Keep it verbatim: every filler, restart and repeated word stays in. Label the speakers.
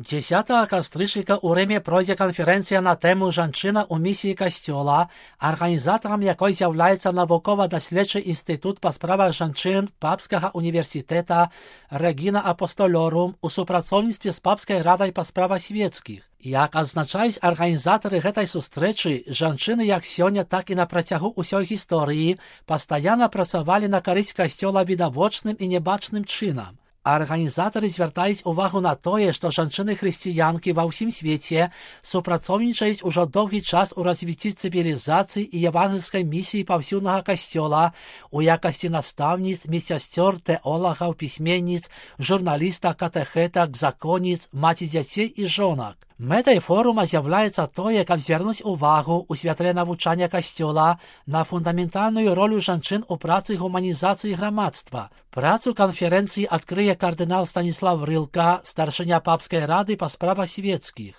Speaker 1: дзесятага кастрычніка ў Рыме пройдзе канферэнцыя на тэму «Жанчына ў місіі касцёла», арганізатарам якой з'яўляецца навукова-даследчы інстытут па справах жанчын Папскага універсітэта Regina Apostolorum у супрацоўніцтве з Папскай радай па справах свецкіх. Як адзначаюць арганізатары гэтай сустрэчы, жанчыны як сёння, так і на працягу ўсёй гісторыі пастаянна працавалі на карысць касцёла відавочным і небачным чынам. Арганізатары звяртаюць увагу на тое, што жанчыны-хрысціянкі ва ўсім свеце супрацоўнічаюць ужо доўгі час у развіцці цывілізацыі і евангельскай місіі паўсюднага касцёла у якасці настаўніц, медсясцёр, тэолагаў, пісьменніц, журналістак, катэхетак, законніц, маці дзяцей і жонак. Мэтай форума з'яўляецца тое, каб звярнуць увагу ў святле навучання касцёла на фундаментальную ролю жанчын у працы гуманізацыі грамадства. Працу канферэнцыі адкрые кардынал Станіслав Рылка, старшыня Папскай рады па справах свецкіх.